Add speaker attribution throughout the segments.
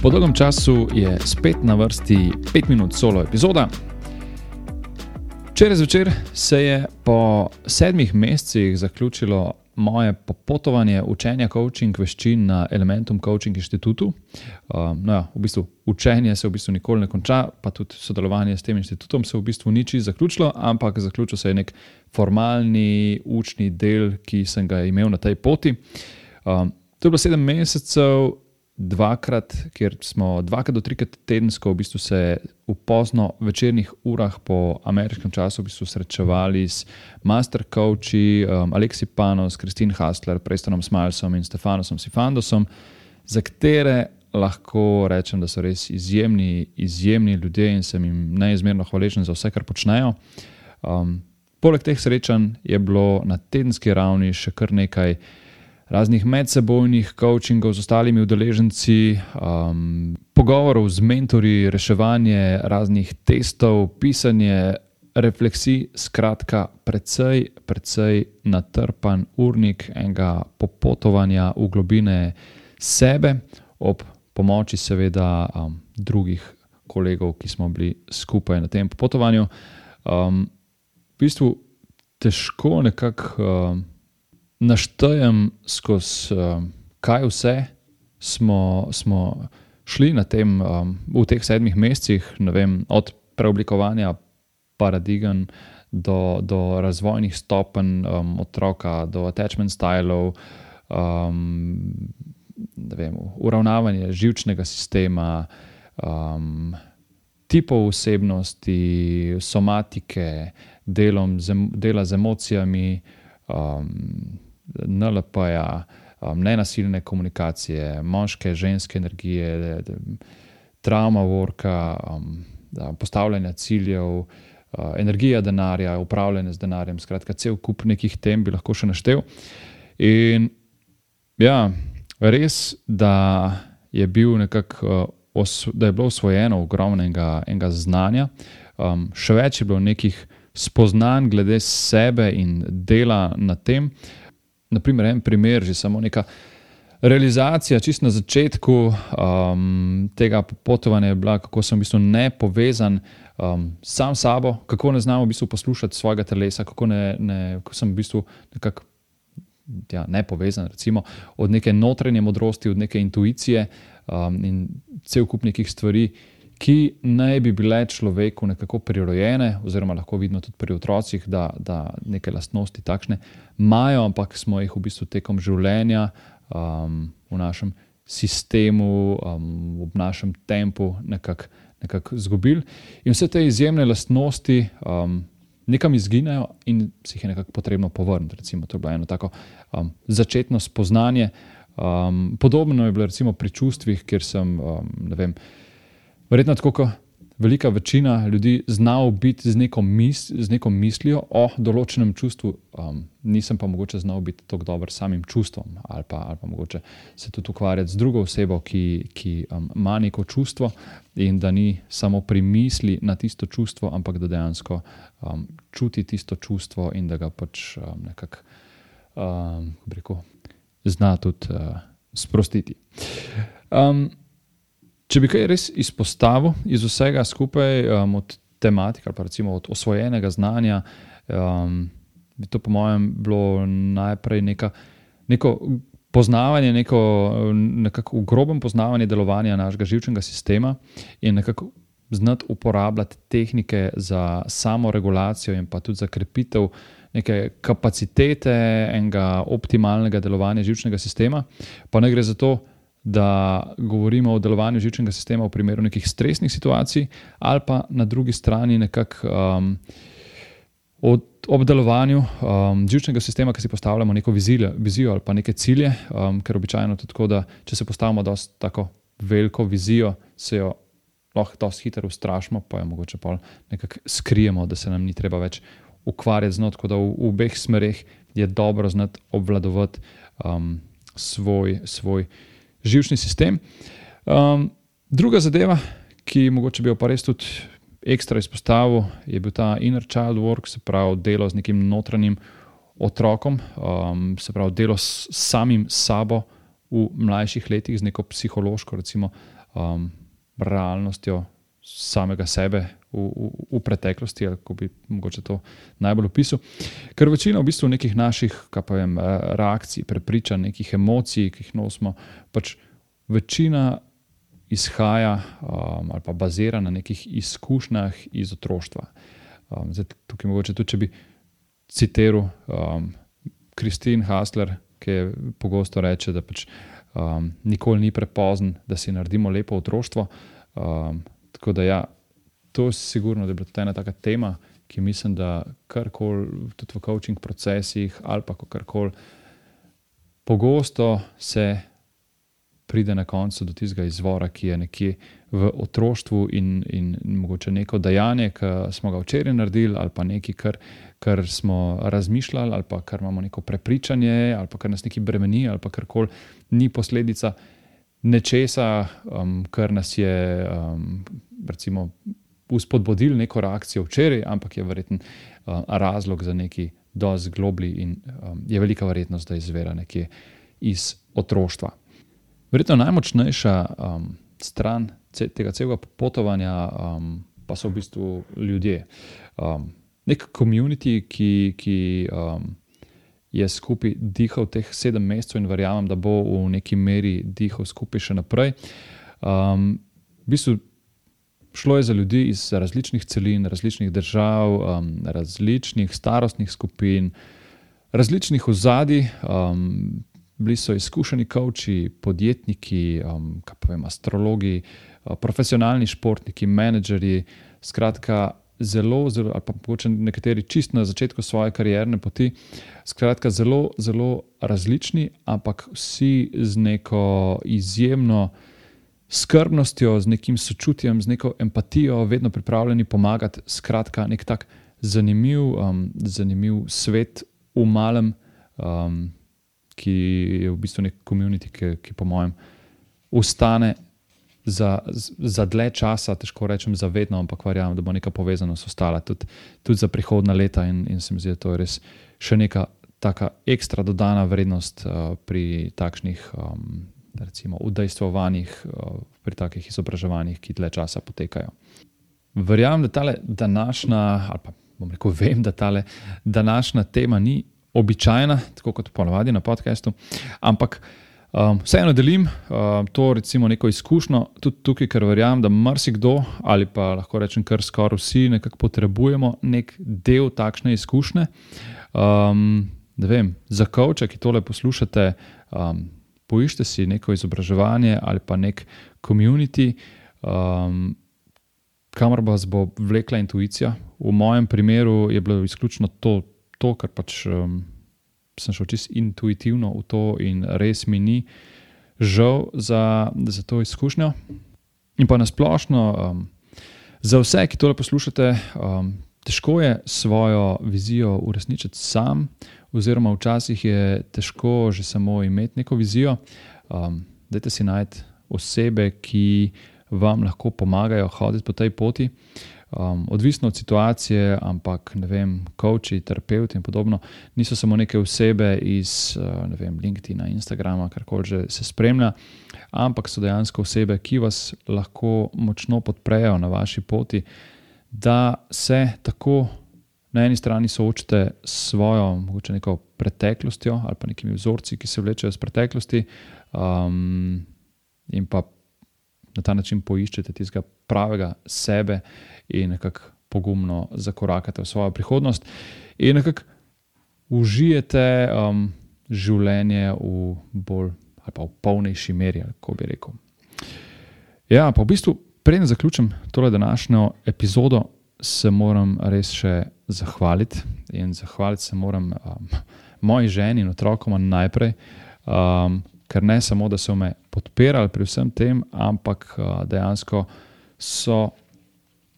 Speaker 1: Po dolgem času je spet na vrsti 5 minut solo epizoda. Včeraj zvečer se je po 7 mesecih zaključilo moje popotovanje učenja coaching veščin na Elementum Coaching Inštitutu. V bistvu učenje se v bistvu nikoli ne konča, pa tudi sodelovanje s tem inštitutom se v bistvu ni čisto zaključilo, ampak zaključil se je nek formalni učni del, ki sem ga imel na tej poti. To je bilo 7 mesecev, kjer smo 2 do 3 tedensko v bistvu se v pozno večernih urah po ameriškem času v bistvu srečevali s master coachi Aleksi Panos, Christine Hassler, Prestonom Smilesom in Stefanosom Sifandosom, za katere lahko rečem, da so res izjemni ljudje in sem jim neizmerno hvaležen za vse, kar počnejo. Poleg teh srečanj je bilo na tedenski ravni še kar nekaj raznih medsebojnih coachingov z ostalimi udeleženci, pogovorov z mentorji, reševanje raznih testov, pisanje refleksij, skratka precej natrpan urnik enega popotovanja v globine sebe, ob pomoči seveda drugih kolegov, ki smo bili skupaj na tem popotovanju. V bistvu težko nekako naštejem skozi kaj vse smo šli na tem v teh 7 mesecih, ne vem, od preoblikovanja paradigem do razvojnih stopenj otroka, do attachment stylov, ne vem, uravnavanje živčnega sistema, tipov osebnosti, somatike, dela z emocijami, NLP-ja, nenasilne komunikacije, moške, ženske energije, trauma worka, postavljanja ciljev, energija denarja, upravljanje z denarjem, skratka, cel kup nekih tem bi lahko še naštel. In ja, res, da je bil nekako, da je bilo osvojeno ogromnega znanja, še več je bilo nekih spoznanj glede sebe in dela na tem. Naprimer, en primer, že samo neka realizacija čisto na začetku tega popotovanja je bila, kako sem v bistvu nepovezan sam s sabo, kako ne znam v bistvu poslušati svojega telesa, kako sem v bistvu nekako nepovezan, recimo, od neke notranje modrosti, od neke intuicije in cel kup nekih stvari, ki naj bi bile človeku nekako prirojene, oziroma lahko vidno tudi pri otrocih, da neke lastnosti takšne imajo, ampak smo jih v bistvu tekom življenja v našem sistemu, v našem tempu nekako izgubili. In vse te izjemne lastnosti nekam izginejo in si jih je nekako potrebno povrniti. Recimo, to je bilo eno tako začetno spoznanje. Podobno je bilo recimo pri čustvih, kjer sem, ne vem, verjetno tako, kot velika večina ljudi znal biti z neko mislijo o določenem čustvu, nisem pa mogoče znal biti tako dober samim čustvom ali pa mogoče se tudi ukvarjati z drugo osebo, ki ima neko čustvo in da ni samo pri misli na tisto čustvo, ampak da dejansko čuti tisto čustvo in da ga pač nekako zna tudi sprostiti. Če bi kaj res izpostavil iz vsega skupaj, od tematik ali pa recimo od osvojenega znanja, bi to po mojem bilo najprej neko poznavanje, nekako grobem poznavanje delovanja našega živčnega sistema in nekako znati uporabljati tehnike za samoregulacijo in pa tudi za krepitev neke kapacitete enega optimalnega delovanja živčnega sistema. Pa ne gre za to, da govorimo o delovanju živčnega sistema v primeru nekih stresnih situacij ali pa na drugi strani nekako ob delovanju živčnega sistema, ki si postavljamo neko vizijo ali pa neke cilje, ker običajno tudi tako, da če se postavimo dosti tako veliko vizijo, se jo lahko dosti hitro ustrašimo, pa jo mogoče pol nekako skrijemo, da se nam ni treba več ukvarjati z njo, tako da v obeh smereh je dobro znati obvladovati svoj živčni sistem. Druga zadeva, ki mogoče bi jo pa res tudi ekstra izpostavil, je bil ta inner child work, se pravi delo z nekim notranjim otrokom, se pravi delo s samim sabo v mlajših letih, z neko psihološko, recimo, realnostjo samega sebe v preteklosti, ali ko bi mogoče to najbolj opisal. Ker večina v bistvu nekih naših, reakcij, prepričanj, nekih emocij, ki jih nosimo, pač večina izhaja ali pa bazira na nekih izkušnjah iz otroštva. Zdaj, tukaj mogoče tudi, če bi citiral Christine Hassler, ki je pogosto reče, da pač nikoli ni prepozen, da si naredimo lepo otroštvo. Tako da ja, to je sigurno, da je bila tudi ena taka tema, ki mislim, da karkoli tudi v coaching procesih ali pa karkoli pogosto se pride na koncu do tistega izvora, ki je nekje v otroštvu in mogoče neko dejanje, ki smo ga včeraj naredili, ali pa nekaj, kar smo razmišljali, ali pa kar imamo neko prepričanje, ali pa kar nas nekaj bremeni, ali pa karkoli ni posledica nečesa, kar nas je recimo vzpodbudil neko reakcijo včeraj, ampak je verjetno razlog za nekaj dosti globlji in je velika verjetnost, da izvira nekje iz otroštva. Verjetno najmočnejša stran tega celega popotovanja pa so v bistvu ljudje. Nek community, ki je skupaj dihal teh 7 mesecev in verjamem, da bo v neki meri dihal skupaj še naprej. V bistvu šlo je za ljudi iz različnih celin, različnih držav, različnih starostnih skupin, različnih ozadij. Bili so izkušeni coachi, podjetniki, astrologi, profesionalni športniki, menedžerji, skratka zelo, ali pa mogoče nekateri čist na začetku svoje karierne poti, skratka zelo, zelo različni, ampak vsi z neko izjemno skrbnostjo, z nekim sočutjem, z neko empatijo, vedno pripravljeni pomagati, skratka nek tak zanimiv svet v malem, ki je v bistvu nek community, ki po mojem ostane za dlje časa, težko rečem za vedno, ampak verjamem, da bo neka povezanost ostala tudi za prihodna leta in se mi zdi, da to je res še neka taka ekstra dodana vrednost pri takšnih recimo udejstvovanjih, pri takih izobraževanjih, ki dlje časa potekajo. Verjamem, da tale današnja, ali pa bom rekel, vem, da tale današnja tema ni običajna, tako kot ponavadi na podcastu, ampak vseeno delim to recimo neko izkušnjo tudi tukaj, ker verjamem, da marsikdo ali pa lahko rečem kar skoraj vsi nekako potrebujemo nek del takšne izkušnje. Ne vem, za coacha, ki tole poslušate, poiščite si neko izobraževanje ali pa nek community, kamor vas bo vlekla intuicija. V mojem primeru je bilo izključno to, ker pač sem šel čisto intuitivno v to in res mi ni žal za to izkušnjo. In pa nasplošno, za vse, ki tole poslušate, težko je svojo vizijo uresničiti sam, oziroma včasih je težko že samo imeti neko vizijo. Dajte si najti osebe, ki vam lahko pomagajo hoditi po tej poti. Odvisno od situacije, ampak ne vem, coachi, terapeuti in podobno niso samo neke osebe iz ne vem, LinkedIna, Instagrama, karkoli že se spremlja, ampak so dejansko osebe, ki vas lahko močno podprejo na vaši poti, da se tako na eni strani soočite s svojo mogoče neko preteklostjo ali pa nekimi vzorci, ki se vlečejo iz preteklosti, in pa na ta način poiščete tistega pravega sebe in nekako pogumno zakorakate v svojo prihodnost in nekako užijete življenje v bolj ali pa v polnejši meri, kako bi rekel. Ja, pa v bistvu, preden zaključim tole današnjo epizodo, se moram res še zahvaliti in zahvaliti se moram moji ženi in otrokoma najprej, ker ne samo, da so me podpirali pri vsem tem, ampak dejansko so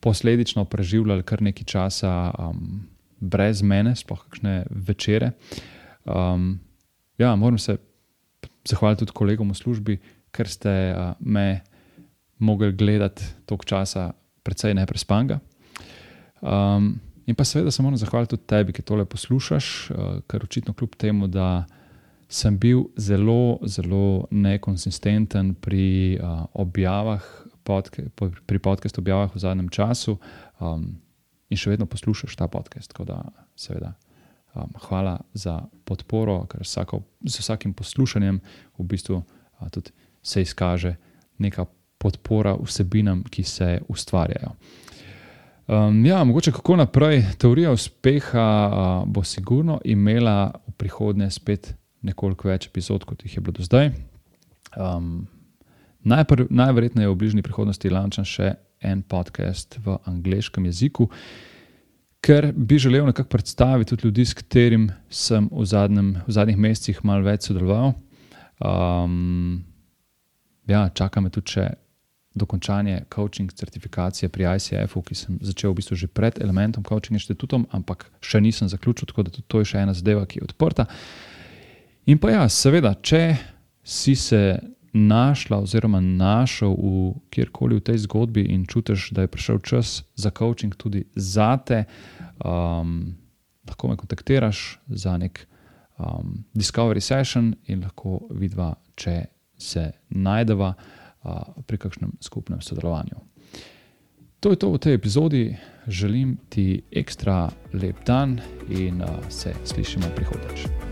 Speaker 1: posledično preživljali kar nekaj časa brez mene, sploh kakšne večere. Ja, moram se zahvaliti tudi kolegom v službi, ker ste me mogli gledati toliko časa precej neprespanga. In pa seveda se moram zahvaliti tudi tebi, ki tole poslušaš, ker očitno kljub temu, da sem bil zelo, zelo nekonsistenten pri objavah, pri podcast objavah v zadnjem času in še vedno poslušaš ta podcast. Tako da seveda hvala za podporo, ker z vsakim poslušanjem v bistvu tudi se izkaže neka podpora vsebinam, ki se ustvarjajo. Mogoče kako naprej. Teorija uspeha bo sigurno imela v prihodnje spet nekoliko več epizod, kot jih je bilo do zdaj. Najverjetneje v bližnji prihodnosti launcham še en podcast v angleškem jeziku, ker bi želel nekako predstaviti tudi ljudi, s katerim sem v zadnjih mesecih malo več sodeloval. Čaka me tudi še dokončanje coaching certifikacije pri ICF-u, ki sem začel v bistvu že pred Elementom Coaching inštitutom, ampak še nisem zaključil, tako da tudi to je še ena zadeva, ki je odprta. In pa seveda, če si se našla oziroma našel kjerkoli v tej zgodbi in čutiš, da je prišel čas za coaching tudi zate, lahko me kontaktiraš za nek discovery session in lahko vidva, če se najdeva pri kakšnem skupnem sodelovanju. To je to v tej epizodi. Želim ti ekstra lep dan in se slišimo prihodnjič.